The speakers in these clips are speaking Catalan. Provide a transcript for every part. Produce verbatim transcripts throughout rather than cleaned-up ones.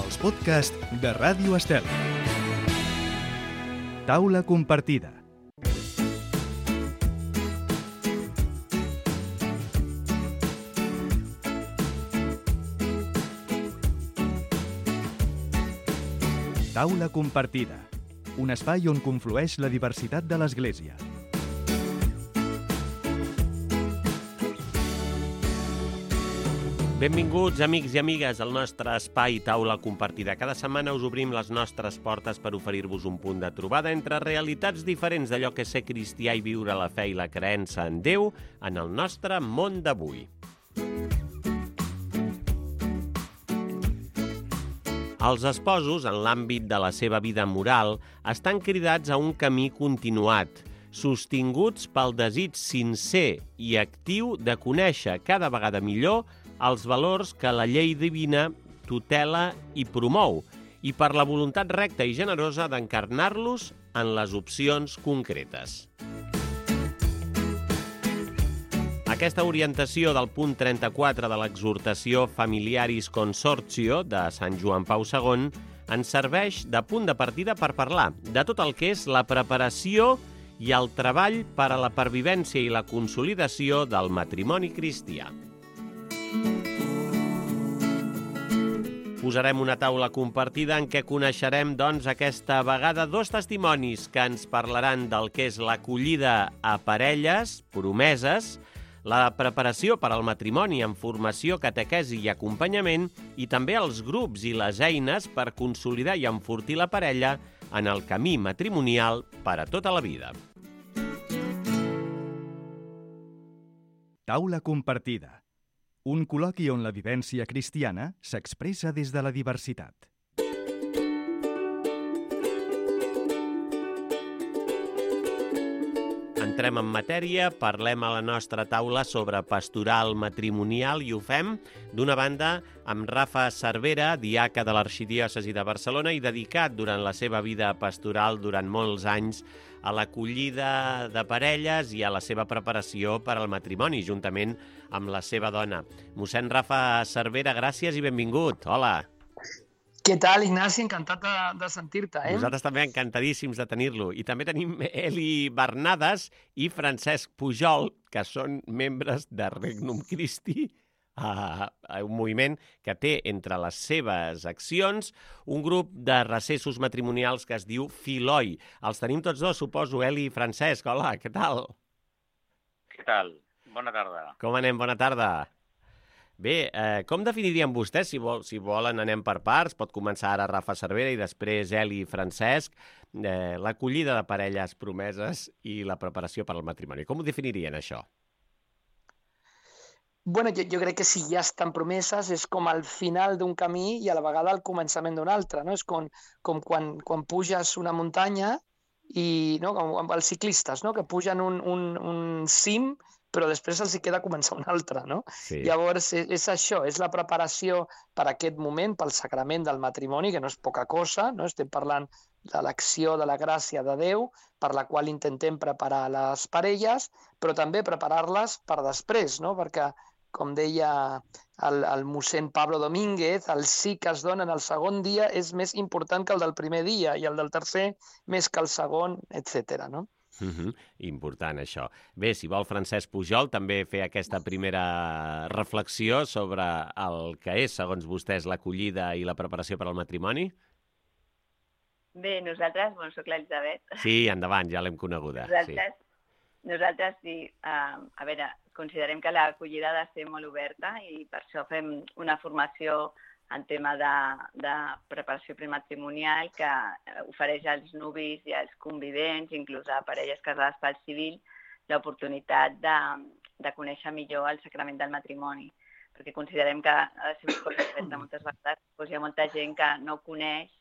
els podcasts de Ràdio Estel. Taula compartida. Taula compartida, un espai on conflueix la diversitat de l'Església. Benvinguts, amics i amigues, al nostre espai Taula Compartida. Cada setmana us obrim les nostres portes per oferir-vos un punt de trobada entre realitats diferents d'allò que és ser cristià i viure la fe i la creença en Déu en el nostre món d'avui. Els esposos, en l'àmbit de la seva vida moral, estan cridats a un camí continuat, sostinguts pel desig sincer i actiu de conèixer cada vegada millor els valors que la llei divina tutela i promou, i per la voluntat recta i generosa d'encarnar-los en les opcions concretes. Aquesta orientació del punt trenta-quatre de l'exhortació Familiaris Consortio de Sant Joan Pau segon ens serveix de punt de partida per parlar de tot el que és la preparació i el treball per a la pervivència i la consolidació del matrimoni cristià. Posarem una taula compartida en què coneixerem, doncs, aquesta vegada dos testimonis que ens parlaran del que és l'acollida a parelles, promeses, la preparació per al matrimoni amb formació, catequesi i acompanyament, i també els grups i les eines per consolidar i enfortir la parella en el camí matrimonial per a tota la vida. Taula compartida. Un col·loqui on la vivència cristiana s'expressa des de la diversitat. Entrem en matèria, parlem a la nostra taula sobre pastoral matrimonial i ho fem, d'una banda, amb Rafa Cervera, diaca de l'Arxidiòcesi de Barcelona i dedicat durant la seva vida pastoral durant molts anys a l'acollida de parelles i a la seva preparació per al matrimoni, juntament amb la seva dona. Mossèn Rafa Cervera, gràcies i benvingut. Hola. Què tal, Ignasi? Encantat de, de sentir-te, eh? Nosaltres també encantadíssims de tenir-lo. I també tenim Eli Bernades i Francesc Pujol, que són membres de Regnum Christi, a un moviment que té entre les seves accions un grup de recessos matrimonials que es diu Filoi. Els tenim tots dos, suposo, Eli i Francesc. Hola, què tal? Què tal? Bona tarda. Com anem? Bona tarda. Bé, eh, com definirien vostès? Si, vol, si volen anem per parts, pot començar ara Rafa Cervera i després Eli i Francesc, eh, l'acollida de parelles promeses i la preparació per al matrimoni. Com ho definirien, això? Bueno, jo, jo crec que si ja estan promeses és com al final d'un camí i a la vegada al començament d'un altre, no? És com, com quan, quan puges una muntanya i, no? Com amb els ciclistes, no? Que pugen un, un, un cim però després els hi queda començar un altre, no? Sí. Llavors, és, és això, és la preparació per a aquest moment, pel sacrament del matrimoni, que no és poca cosa, no? Estem parlant de l'acció de la gràcia de Déu, per la qual intentem preparar les parelles, però també preparar-les per després, no? Perquè, com deia el, el mossèn Pablo Domínguez, el sí que es dona en el segon dia és més important que el del primer dia i el del tercer més que el segon, etcètera, no? Uh-huh. Important, això. Bé, si vol Francesc Pujol també fer aquesta primera reflexió sobre el que és, segons vostès, l'acollida i la preparació per al matrimoni. Bé, nosaltres, bueno, soc l'Elisabet. Sí, endavant, ja l'hem coneguda. Nosaltres, sí, nosaltres sí, uh, a veure, considerem que l'acollida ha de ser molt oberta i per això fem una formació en tema de, de preparació prematrimonial que ofereix als nuvis i als convivents, inclús a parelles casades pel civil, l'oportunitat de, de conèixer millor el sacrament del matrimoni. Perquè considerem que ha de ser una cosa oberta moltes vegades. Doncs hi ha molta gent que no ho coneix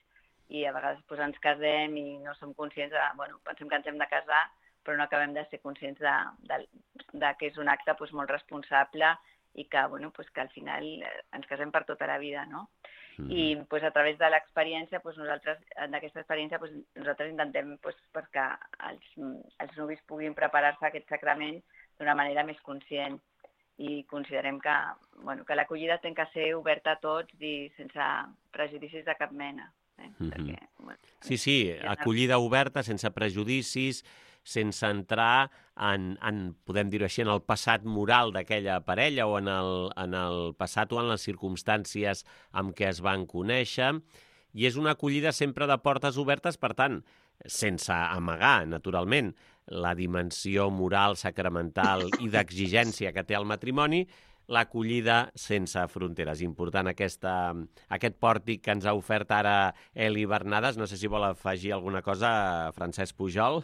i a vegades doncs, ens casem i no som conscients de... Bueno, pensem que ens hem de casar, però no acabem de ser conscients de, de, de que és un acte doncs, molt responsable i que, bueno, pues que al final ens casem per tota la vida, no? Mm. I pues, a través de l'experiència, pues, nosaltres, d'aquesta experiència, pues, nosaltres intentem pues, perquè els, els nuvis puguin preparar-se a aquest sacrament d'una manera més conscient. i considerem que, bueno, que l'acollida té que ser oberta a tots i sense prejudicis de cap mena. Eh? Mm-hmm. Perquè, bueno, sí, sí, acollida oberta, sense prejudicis, sense entrar en, en podem dir-ho així, en el passat moral d'aquella parella o en el, en el passat o en les circumstàncies amb què es van conèixer. I és una acollida sempre de portes obertes, per tant, sense amagar, naturalment, la dimensió moral, sacramental i d'exigència que té el matrimoni, l'acollida sense fronteres. Important aquesta, aquest pòrtic que ens ha ofert ara Eli Bernades. No sé si vol afegir alguna cosa, Francesc Pujol.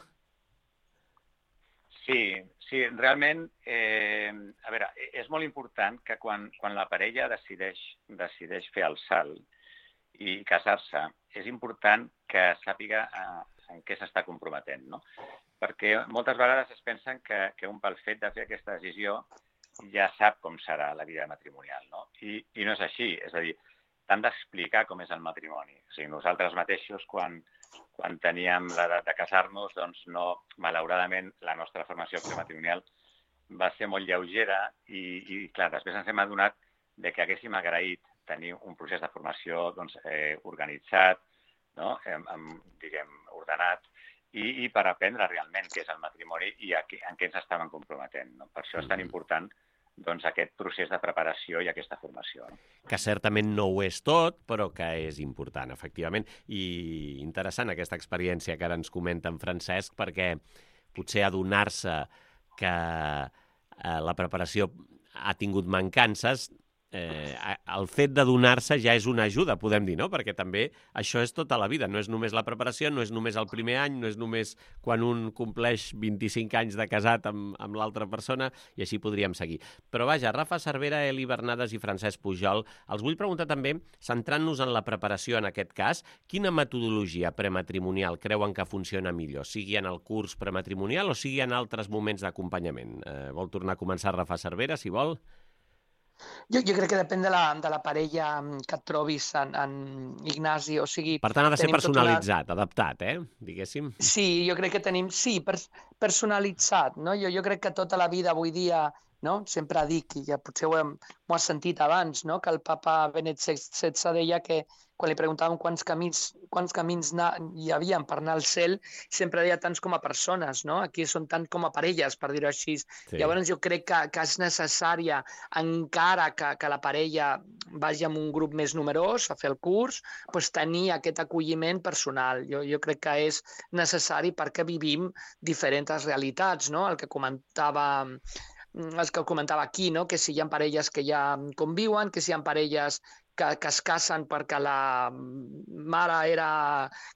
Sí, sí, realment, eh, a veure, és molt important que quan, quan la parella decideix, decideix fer el salt i casar-se, és important que sàpiga eh, en què s'està comprometent, no? Perquè moltes vegades es pensen que, que un pel fet de fer aquesta decisió ja sap com serà la vida matrimonial, no? I, i no és així, és a dir, t'han d'explicar com és el matrimoni. O sigui, nosaltres mateixos, quan, quan teníem l'edat de casar-nos, doncs no, malauradament, la nostra formació prematrimonial va ser molt lleugera i, i clar, després ens hem adonat de que haguéssim agraït tenir un procés de formació doncs, eh, organitzat, no? Amb, amb, diguem, ordenat, i, i per aprendre realment què és el matrimoni i a què, en què ens estaven comprometent. No? Per això és tan important doncs, aquest procés de preparació i aquesta formació. No? Que certament no ho és tot, però que és important, efectivament. I interessant aquesta experiència que ara ens comenta en Francesc, perquè potser adonar-se que eh, la preparació ha tingut mancances, eh, el fet d'adonar-se ja és una ajuda, podem dir, no? Perquè també això és tota la vida, no és només la preparació, no és només el primer any, no és només quan un compleix vint-i-cinc anys de casat amb, amb l'altra persona, i així podríem seguir. Però vaja, Rafa Cervera, Eli Bernades i Francesc Pujol, els vull preguntar també, centrant-nos en la preparació en aquest cas, quina metodologia prematrimonial creuen que funciona millor, sigui en el curs prematrimonial o sigui en altres moments d'acompanyament? Eh, vol tornar a començar Rafa Cervera, si vol? Jo, jo crec que depèn de la, de la parella que et trobis en, en Ignasi, o sigui... Per tant, ha de ser tenim tota personalitzat, una... adaptat, eh? Diguéssim. Sí, jo crec que tenim... Sí, pers personalitzat, no? Jo, jo crec que tota la vida avui dia, no? Sempre dic, i ja potser ho, hem, ho has sentit abans, no? Que el papa Benet setze deia que quan li preguntàvem quants camins, quants camins hi havia per anar al cel, sempre deia tants com a persones, no? Aquí són tant com a parelles, per dir-ho així. Sí. Llavors jo crec que, que és necessària, encara que, que la parella vagi amb un grup més numerós a fer el curs, doncs tenir aquest acolliment personal. Jo, jo crec que és necessari perquè vivim diferents realitats, no? El que comentava... els que comentava aquí, no? Que si hi ha parelles que ja conviuen, que si hi ha parelles que, que es casen perquè la mare era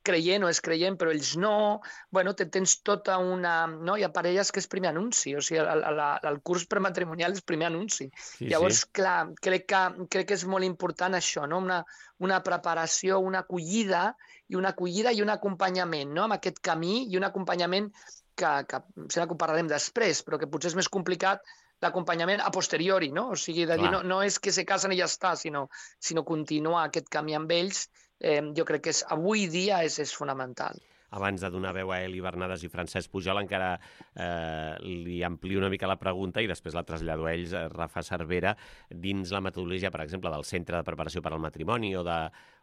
creient o és creient, però ells no. Bueno, tens tota una... No? Hi ha parelles que és primer anunci, o sigui, el, el, el curs prematrimonial és primer anunci. Sí, Llavors, sí. clar, crec que, crec que és molt important això, no? Una, una preparació, una acollida, i una acollida i un acompanyament, no? Amb aquest camí, i un acompanyament que, que sembla que ho parlarem després, però que potser és més complicat l'acompanyament a posteriori, no? O sigui, de dir, no, no és que se casen i ja està, sinó, sinó continuar aquest camí amb ells, eh, jo crec que és, avui dia és, és fonamental. Abans de donar veu a Eli Bernades i Francesc Pujol, encara eh, li amplio una mica la pregunta i després la trasllado a ells, a Rafa Cervera, dins la metodologia, per exemple, del Centre de Preparació per al Matrimoni o de,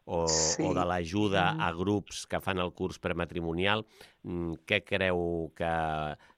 o, sí. o de l'ajuda a grups que fan el curs prematrimonial, què creu que,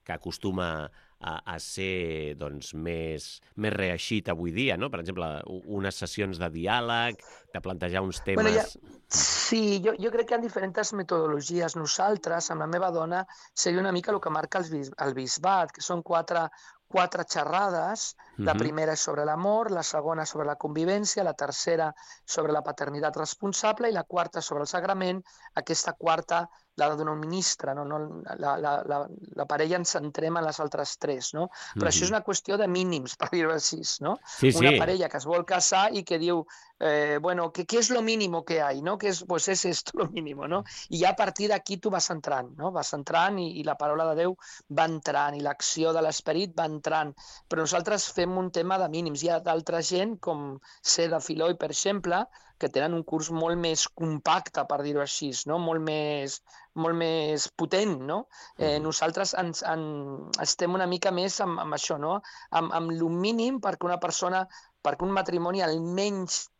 que acostuma a, a ser doncs, més, més reeixit avui dia, no? Per exemple, unes sessions de diàleg, de plantejar uns temes... Bueno, ja... Sí, jo, jo crec que hi ha diferents metodologies. Nosaltres, amb la meva dona, seria una mica el que marca el, bis, el bisbat, que són quatre, quatre xerrades. La primera és sobre l'amor, la segona sobre la convivència, la tercera sobre la paternitat responsable i la quarta sobre el sagrament. Aquesta quarta l'ha de donar un ministre, no? No, la, la, la, la parella ens centrem en les altres tres, no? Però mm-hmm. això és una qüestió de mínims, per dir-ho així, no? Sí, una sí. parella que es vol casar i que diu, eh, bueno, ¿qué, ¿qué es lo mínimo que hay? ¿No? Que es, pues es esto lo mínimo, ¿no? I ja a partir d'aquí tu vas entrant, no? Vas entrant i, i la paraula de Déu va entrant i l'acció de l'esperit va entrant. Però nosaltres fem estem un tema de mínims. Hi ha d'altra gent, com Seda Filoi, per exemple, que tenen un curs molt més compacte, per dir-ho així, no? molt, més, molt més potent. No? Eh, Mhm. nosaltres ens, en, estem una mica més amb, amb això, no? amb, amb el mínim perquè una persona, perquè un matrimoni almenys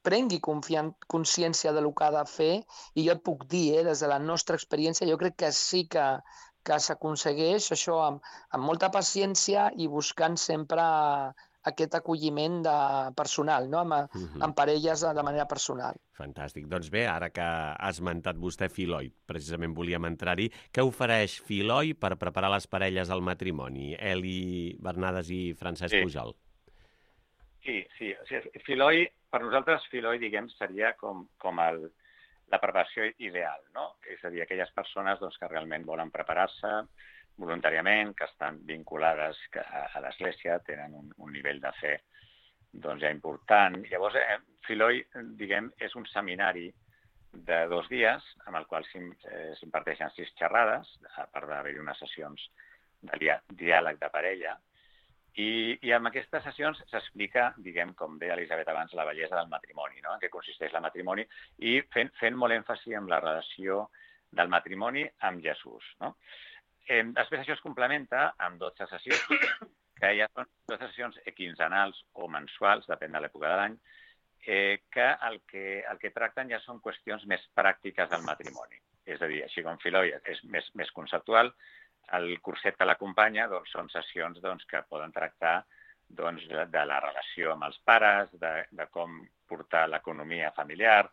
prengui confian- consciència del que ha de fer, i jo et puc dir, eh, des de la nostra experiència, jo crec que sí que, que s'aconsegueix això amb, amb molta paciència i buscant sempre aquest acolliment de personal, no? amb, Mhm. amb parelles de manera personal. Fantàstic. Doncs bé, ara que ha esmentat vostè Filoi, precisament volíem entrar-hi, què ofereix Filoi per preparar les parelles al matrimoni? Eli Bernades i Francesc Sí. Pujol. Sí, sí. O sigui, Filoi, per nosaltres, Filoi, diguem, seria com, com el, la preparació ideal, no? És a dir, aquelles persones doncs, que realment volen preparar-se voluntàriament, que estan vinculades a, a l'Església, tenen un, un nivell de fe doncs, ja important. Llavors, eh, Filoi, diguem, és un seminari de dos dies, amb el qual s'imparteixen sis xerrades, a part d'haver-hi unes sessions de dia, diàleg de parella. I, I en aquestes sessions s'explica, diguem, com deia Elisabet abans, la bellesa del matrimoni, no? En què consisteix el matrimoni, i fent, fent molt èmfasi en la relació del matrimoni amb Jesús. No? Eh, després això es complementa amb dotze sessions, que ja són dotze sessions quinzenals o mensuals, depèn de l'època de l'any, eh, que, el que el que tracten ja són qüestions més pràctiques del matrimoni. És a dir, així com Filoi és més, més conceptual, el curset que l'acompanya doncs, són sessions doncs, que poden tractar doncs, de, de la relació amb els pares, de, de com portar l'economia familiar,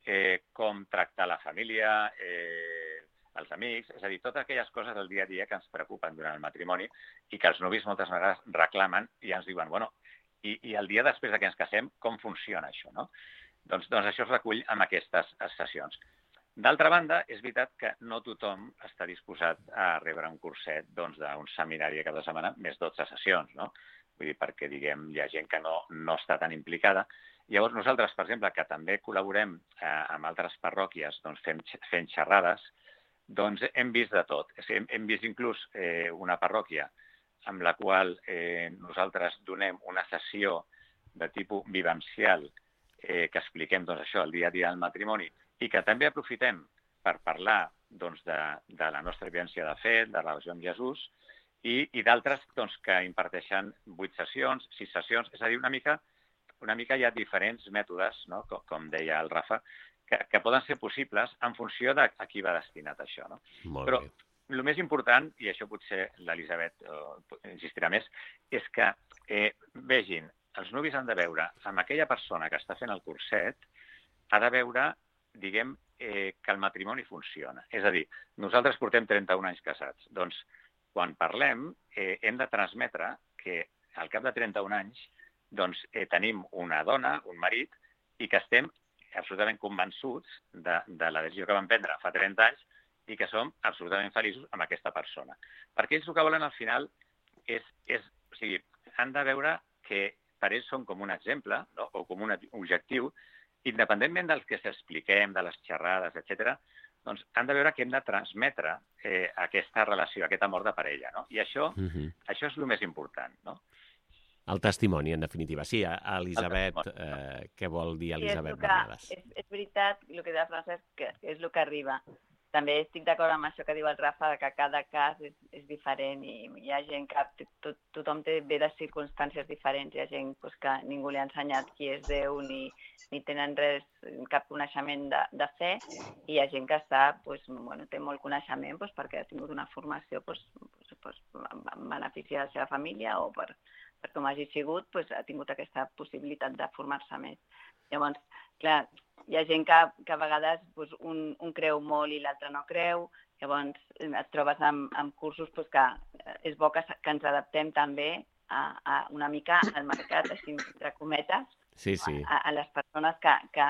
eh, com tractar la família, eh, els amics, és a dir, totes aquelles coses del dia a dia que ens preocupen durant el matrimoni i que els nuvis moltes vegades reclamen i ens diuen, bueno, i, i el dia després de que ens casem, com funciona això? No? Doncs, doncs això es recull en aquestes sessions. D'altra banda, és veritat que no tothom està disposat a rebre un curset doncs, d'un seminari cada setmana, més dotze sessions, no? Vull dir, perquè, diguem, hi ha gent que no, no està tan implicada. Llavors, nosaltres, per exemple, que també col·laborem eh, amb altres parròquies doncs, fent, fent xerrades, doncs hem vist de tot. Hem, hem vist inclús eh, una parròquia amb la qual eh, nosaltres donem una sessió de tipus vivencial eh, que expliquem doncs, això, el dia a dia del matrimoni, i que també aprofitem per parlar doncs, de, de la nostra vivència de fe, de la relació amb Jesús, i, i d'altres doncs, que imparteixen vuit sessions, sis sessions, és a dir, una mica, una mica hi ha diferents mètodes, no? com, com deia el Rafa, que, que poden ser possibles en funció de a qui va destinat això. No? Molt Però bé. el més important, i això potser l'Elisabet eh, insistirà més, és que eh, vegin, els nuvis han de veure amb aquella persona que està fent el curset, ha de veure diguem, eh, que el matrimoni funciona. És a dir, nosaltres portem trenta-un anys casats. Doncs, quan parlem, eh, hem de transmetre que al cap de trenta-un anys doncs, eh, tenim una dona, un marit, i que estem absolutament convençuts de, de la decisió que vam prendre fa trenta anys i que som absolutament feliços amb aquesta persona. Perquè ells el que volen al final és, és o sigui, han de veure que per ells són com un exemple, no? O com un objectiu, independentment dels que s'expliquem, de les xerrades, etcètera, doncs han de veure que hem de transmetre eh, aquesta relació, aquest amor de parella. No? I això, Mhm. això és el més important. No? El testimoni, en definitiva. Sí, Elisabet, eh, què vol dir Elisabet sí, és Bernades? És, és veritat, el que deia Francesc, que és el que arriba. També estic d'acord amb això que diu el Rafa, que cada cas és, és diferent i hi ha gent que tot, tothom té bé les circumstàncies diferents. Hi ha gent pues, que ningú li ha ensenyat qui és Déu ni, ni tenen res, cap coneixement de, de fe, i hi ha gent que està, pues, bueno, té molt coneixement pues, perquè ha tingut una formació pues, pues, pues, en benefici de la seva família o per, per com hagi sigut, pues, ha tingut aquesta possibilitat de formar-se més. Llavors, clar, hi ha gent que, que a vegades pues, un, un creu molt i l'altre no creu, llavors et trobes amb, amb cursos pues, que és bo que, que ens adaptem també a, a una mica al mercat, així entre cometes, sí, sí. A, a les persones que, que,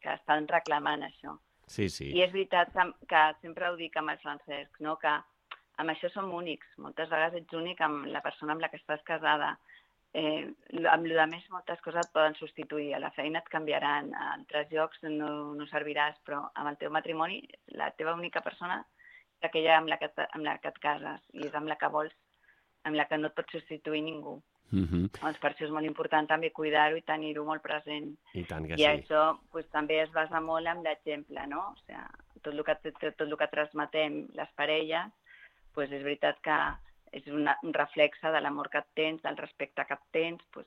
que estan reclamant això. Sí, sí. I és veritat que, que sempre ho dic amb el Francesc, no? Que amb això som únics. Moltes vegades ets únic amb la persona amb la que estàs casada. Eh, amb el més moltes coses et poden substituir, a la feina et canviaran, a altres llocs no, no serviràs, però amb el teu matrimoni la teva única persona és aquella amb la, que, amb la que et cases i és amb la que vols, amb la que no et pot substituir ningú. Mhm. Doncs per això és molt important també cuidar-ho i tenir-ho molt present. I tant que I sí. això pues, també es basa molt en l'exemple, no? O sigui, tot el que, tot el que transmetem les parelles, pues, és veritat que és una, un reflexe de l'amor que et tens, del respecte que et tens, pues,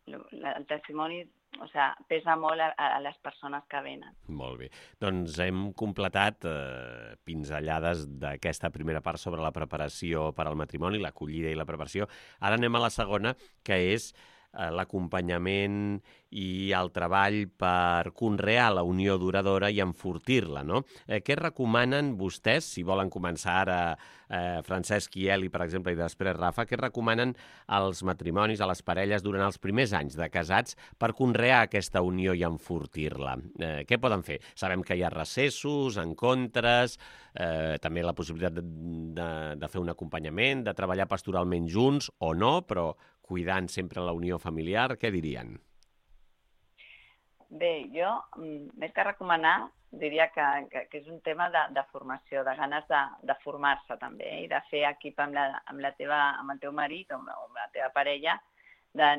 el testimoni, o sigui, pesa molt a, a les persones que venen. Molt bé. Doncs hem completat eh, pinzellades d'aquesta primera part sobre la preparació per al matrimoni, l'acollida i la preparació. Ara anem a la segona, que és eh, l'acompanyament i el treball per conrear la unió duradora i enfortir-la, no? Eh, què recomanen vostès, si volen començar ara eh, Francesc i Eli, per exemple, i després Rafa, què recomanen als matrimonis, a les parelles, durant els primers anys de casats per conrear aquesta unió i enfortir-la? Eh, què poden fer? Sabem que hi ha recessos, encontres, eh, també la possibilitat de, de, de fer un acompanyament, de treballar pastoralment junts o no, però cuidant sempre la unió familiar, què dirien? Bé, jo, més que recomanar, diria que, que, que és un tema de, de formació, de ganes de, de formar-se també, eh? I de fer equip amb, la, amb, la teva, amb el teu marit o amb, amb la teva parella, de,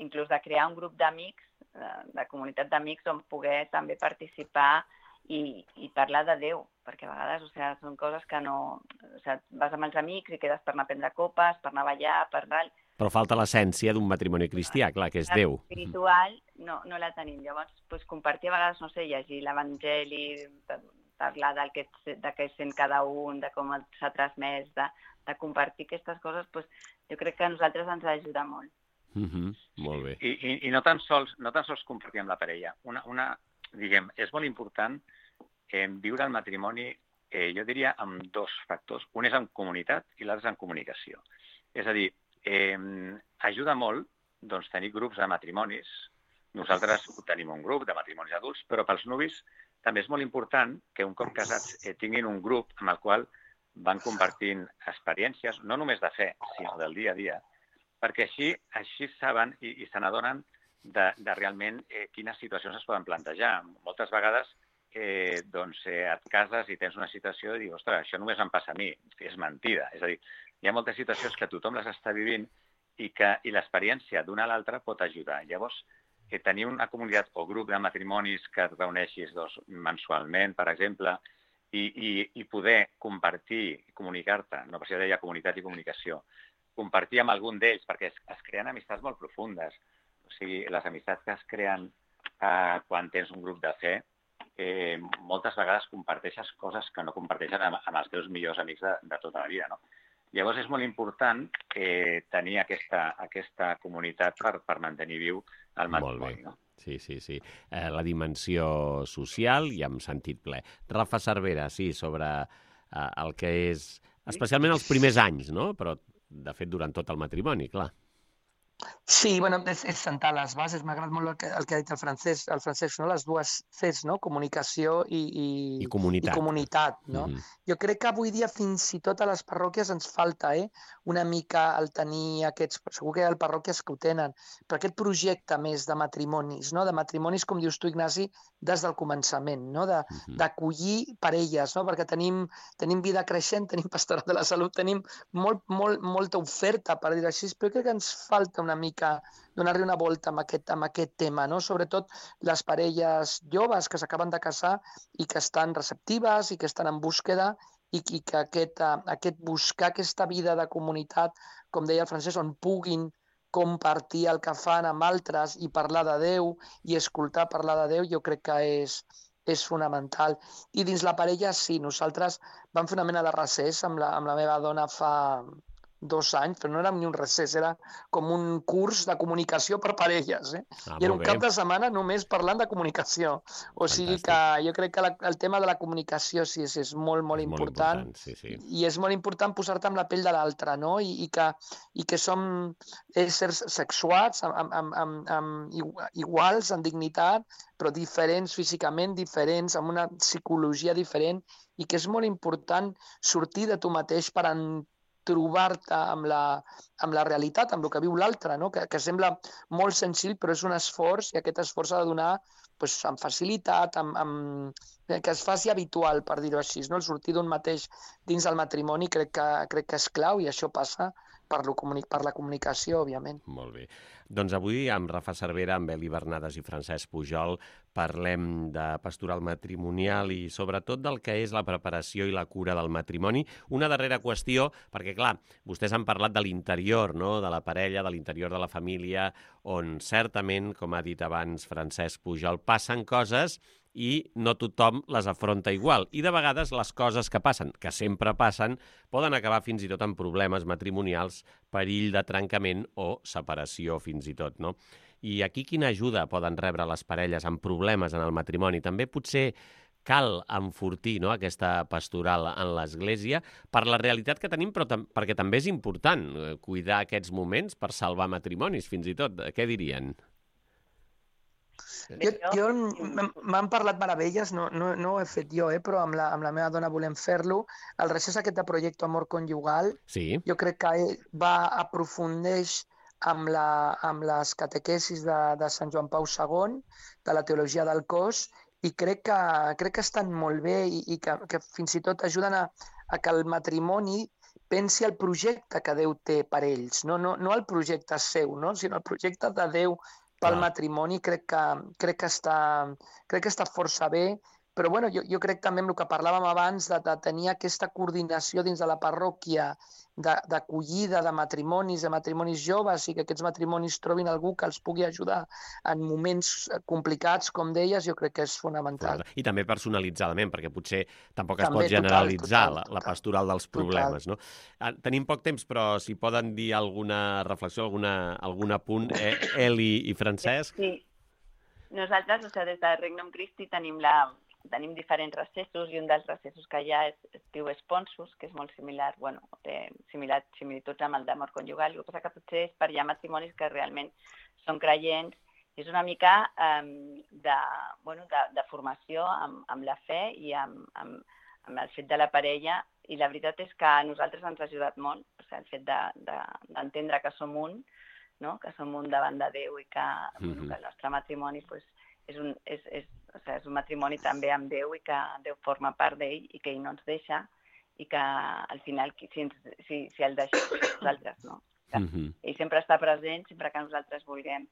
inclús de crear un grup d'amics, de, de comunitat d'amics on poder també participar i, i parlar de Déu, perquè a vegades o sigui, són coses que no... O sigui, vas amb els amics i quedes per anar a prendre copes, per anar a ballar, per anar... Però falta l'essència d'un matrimoni cristià, clar, que és Déu. Espiritual no, no la tenim. Llavors, pues, compartir a vegades, no sé, llegir l'Evangeli, parlar del que, de què sent cada un, de com s'ha transmès, de, de compartir aquestes coses, pues, jo crec que a nosaltres ens ajuda molt. Mm-hmm. Molt bé. I, i, i no, tan sols, no tan sols compartir amb la parella. Una, una, diguem, és molt important eh, viure el matrimoni, eh, jo diria, amb dos factors. Un és en comunitat i l'altre és en comunicació. És a dir, Eh, ajuda molt doncs, tenir grups de matrimonis. Nosaltres tenim un grup de matrimonis adults, però pels nuvis també és molt important que un cop casats eh, tinguin un grup amb el qual van compartint experiències, no només de fe, sinó del dia a dia, perquè així així saben i, i se n'adonen de, de realment eh, quines situacions es poden plantejar. Moltes vegades eh, doncs, eh, et cases i tens una situació i dius, ostres, això només em passa a mi, és mentida. És a dir, hi ha moltes situacions que tothom les està vivint i que i l'experiència d'una a l'altra pot ajudar. Llavors, eh, tenir una comunitat o grup de matrimonis que et reuneixis doncs, mensualment, per exemple, i, i, i poder compartir i comunicar-te, no per això deia comunitat i comunicació, compartir amb algun d'ells, perquè es, es creen amistats molt profundes. O sigui, les amistats que es creen eh, quan tens un grup de fe, eh, moltes vegades comparteixes coses que no comparteixen amb, amb els teus millors amics de, de tota la vida, no? Llavors és molt important eh, tenir aquesta, aquesta comunitat per, per mantenir viu el matrimoni. No? Sí, sí, sí. Eh, la dimensió social i amb sentit ple. Rafa Cervera, sí, sobre eh, el que és... Especialment els primers anys, no? Però, de fet, durant tot el matrimoni, clar. Sí, bueno, és, és sentar les bases. M'ha agradat molt el que, el que ha dit el Francesc, el Francesc, no? Les dues Cs, no? Comunicació i, i, I comunitat. I comunitat, no? Mm-hmm. Jo crec que avui dia fins i tot a les parròquies ens falta eh? una mica el tenir aquests... Segur que hi ha parròquies que ho tenen, però aquest projecte més de matrimonis, no? De matrimonis, com dius tu, Ignasi, des del començament, no? De, Mm-hmm. d'acollir parelles, no? Perquè tenim, tenim vida creixent, tenim pastorat de la salut, tenim molt, molt, molta oferta, per dir-ho així, però crec que ens falta una mica donar-li una volta amb aquest, amb aquest tema, no? Sobretot les parelles joves que s'acaben de casar i que estan receptives i que estan en búsqueda i, i que aquest, aquest buscar aquesta vida de comunitat, com deia el Francesc, on puguin compartir el que fan amb altres i parlar de Déu i escoltar parlar de Déu, jo crec que és, és fonamental. I dins la parella, sí, nosaltres vam fer una mena de recés amb la, amb la meva dona fa dos anys, però no era ni un recés, era com un curs de comunicació per parelles. Eh? Ah, I era un molt cap bé. de setmana només parlant de comunicació. O sigui Fantàstic. que jo crec que la, el tema de la comunicació sí, és, és molt, molt És molt important. important, sí, sí. I és molt important posar-te amb la pell de l'altre, no? I, i, que, i que som éssers sexuats, amb, amb, amb, amb iguals en dignitat, però diferents físicament, diferents, amb una psicologia diferent, i que és molt important sortir de tu mateix per en trobar-te amb la, amb la realitat, amb el que viu l'altre, no? que, que sembla molt senzill, però és un esforç, i aquest esforç ha de donar pues, amb facilitat, amb, amb, que es faci habitual, per dir-ho així. No? El sortir d'un mateix dins del matrimoni crec que, crec que és clau, i això passa per, lo, per la comunicació, òbviament. Molt bé. Doncs avui amb Rafa Cervera, amb Eli Bernades i Francesc Pujol parlem de pastoral matrimonial i sobretot del que és la preparació i la cura del matrimoni. Una darrera qüestió, perquè clar, vostès han parlat de l'interior, no?, de la parella, de l'interior de la família, on certament, com ha dit abans Francesc Pujol, passen coses i no tothom les afronta igual. I de vegades les coses que passen, que sempre passen, poden acabar fins i tot amb problemes matrimonials, perill de trencament o separació fins i tot, no? I aquí quina ajuda poden rebre les parelles amb problemes en el matrimoni? També potser cal enfortir, no?, aquesta pastoral en l'Església per la realitat que tenim, però tam perquè també és important cuidar aquests moments per salvar matrimonis, fins i tot. Què dirien? Jo, jo m'han parlat meravelles, no, no, no ho he fet jo, eh, però amb la, amb la meva dona volem fer-lo. El recés aquest de Projecte Amor Conjugal, sí. Jo crec que va aprofundeix amb, la, amb les catequesis de, de Sant Joan Pau segon, de la teologia del cos, i crec que, crec que estan molt bé i, i que, que fins i tot ajuden a, a que el matrimoni pensi el projecte que Déu té per ells, no, no, no el projecte seu, no?, sinó el projecte de Déu pel matrimoni. Crec que, crec, que està, crec que està força bé, però bueno, jo, jo crec també amb el que parlàvem abans de, de tenir aquesta coordinació dins de la parròquia d'acollida de, de matrimonis, de matrimonis joves, i que aquests matrimonis trobin algú que els pugui ajudar en moments complicats, com deies, jo crec que és fonamental. Clar. I també personalitzadament, perquè potser tampoc es també, pot generalitzar total, total, la, la pastoral dels problemes, no? Tenim poc temps, però si poden dir alguna reflexió, alguna, algun apunt, eh, Eli i Francesc? Sí. Nosaltres, o sigui, des de Regnum Christi tenim la tenim diferents recessos, i un dels recessos que hi ha és, es diu Esponsus, que és molt similar, bueno, té similar, similituds amb el d'amor conjugal. El que passa que potser és per hi ha matrimonis que realment són creients. És una mica eh, de, bueno, de, de formació amb, amb la fe i amb, amb, amb el fet de la parella, i la veritat és que a nosaltres ens ha ajudat molt, o sigui, el fet d'entendre de, de, que som un, no? Que som un davant de Déu, i que, mm-hmm. bueno, que el nostre matrimoni pues, és, un, és, és, o sigui, és un matrimoni també amb Déu, i que Déu forma part d'ell i que ell no ens deixa, i que al final si, ens, si, si el deixem nosaltres, no? Que mm-hmm. ell sempre està present, sempre que nosaltres vulguem.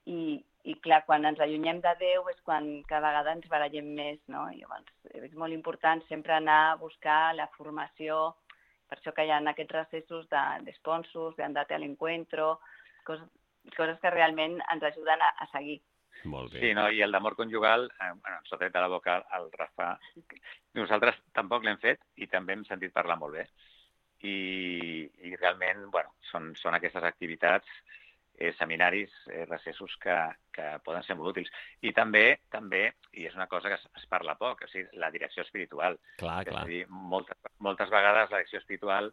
I, i clar, quan ens allunyem de Déu és quan cada vegada ens barallem més, no? I llavors és molt important sempre anar a buscar la formació, per això que hi ha aquests recessos d'esponsos, de d'andate a l'encuentro, coses, coses que realment ens ajuden a, a seguir. Molt bé. Sí, no? I el d'amor conjugal, eh, bueno, ens ha tret de la boca el Rafa. Nosaltres tampoc l'hem fet i també hem sentit parlar molt bé. I, i realment, bueno, són, són aquestes activitats, eh, seminaris, eh, recessos que, que poden ser molt útils. I també, també, i és una cosa que es, es parla poc, o sigui, la direcció espiritual. Clar, clar. És a dir, moltes, moltes vegades la direcció espiritual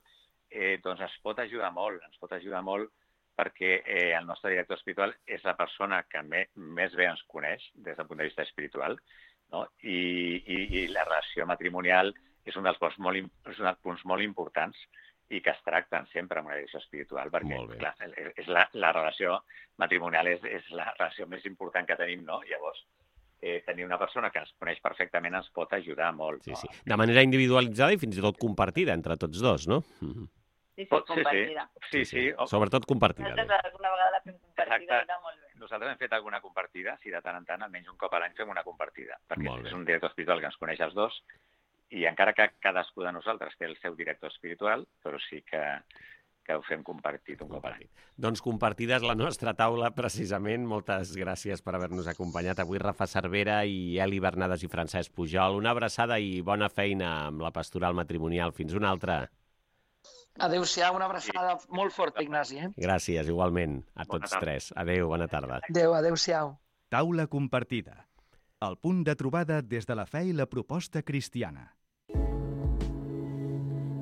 eh, doncs ens pot ajudar molt, ens pot ajudar molt perquè eh, el nostre director espiritual és la persona que me, més bé ens coneix des del punt de vista espiritual, no? I, i, i la relació matrimonial és un dels punts molt, és un dels punts molt importants i que es tracten sempre amb una direcció espiritual, perquè clar, és la, la relació matrimonial és, és la relació més important que tenim, no? Llavors, eh, tenir una persona que ens coneix perfectament ens pot ajudar molt. Sí, no? sí. De manera individualitzada i fins i tot compartida entre tots dos, no? Mm-hmm. Sí, sí, compartida. Sí, sí. sí, sí. Sobretot compartida. Nosaltres alguna vegada la fem compartida i va molt bé. Nosaltres hem fet alguna compartida, si de tant en tant, almenys un cop a l'any fem una compartida, perquè és un director espiritual que ens coneix els dos, i encara que cadascú de nosaltres té el seu director espiritual, però sí que, que ho fem compartit un cop a l'any. Doncs compartida és la nostra taula, precisament. Moltes gràcies per haver-nos acompanyat avui, Rafa Cervera i Eli Bernades i Francesc Pujol. Una abraçada i bona feina amb la pastoral matrimonial. Fins una altra. Adéu-siau, una abraçada molt forta, Ignasi. Eh? Gràcies, igualment, a tots tres. Adéu, bona tarda. Adéu, adéu-siau. Taula compartida. El punt de trobada des de la fe i la proposta cristiana.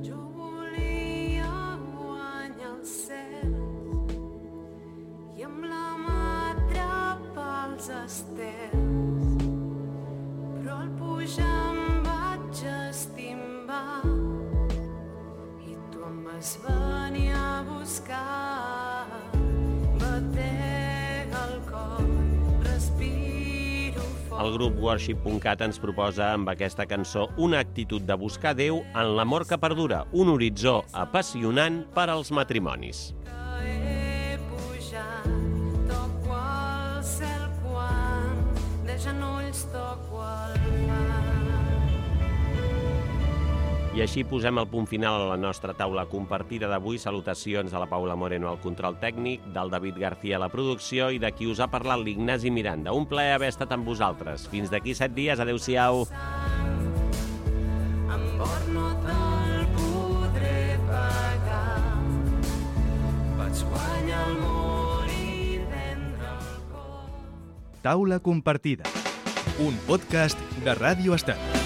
Jo volia guanyar el cel i amb la mà atrapar els estels, però al pujar em vaig estimbar i tu em vas venir a buscar. Batega el cor, respiro fort. El grup worship punt cat ens proposa amb aquesta cançó una actitud de buscar Déu en l'amor que perdura, un horitzó apassionant per als matrimonis. He pujat, toco al cel quan de genolls toco el mar. I així posem el punt final a la nostra taula compartida d'avui. Salutacions a la Paula Moreno al control tècnic, del David García a la producció i de qui us ha parlat l'Ignasi Miranda. Un plaer haver estat amb vosaltres. Fins d'aquí set dies. Adéu-siau. Amor, no te'l podré pagar. Vaig guanyar el món i vendre el cor. Taula compartida, un podcast de Ràdio Estat.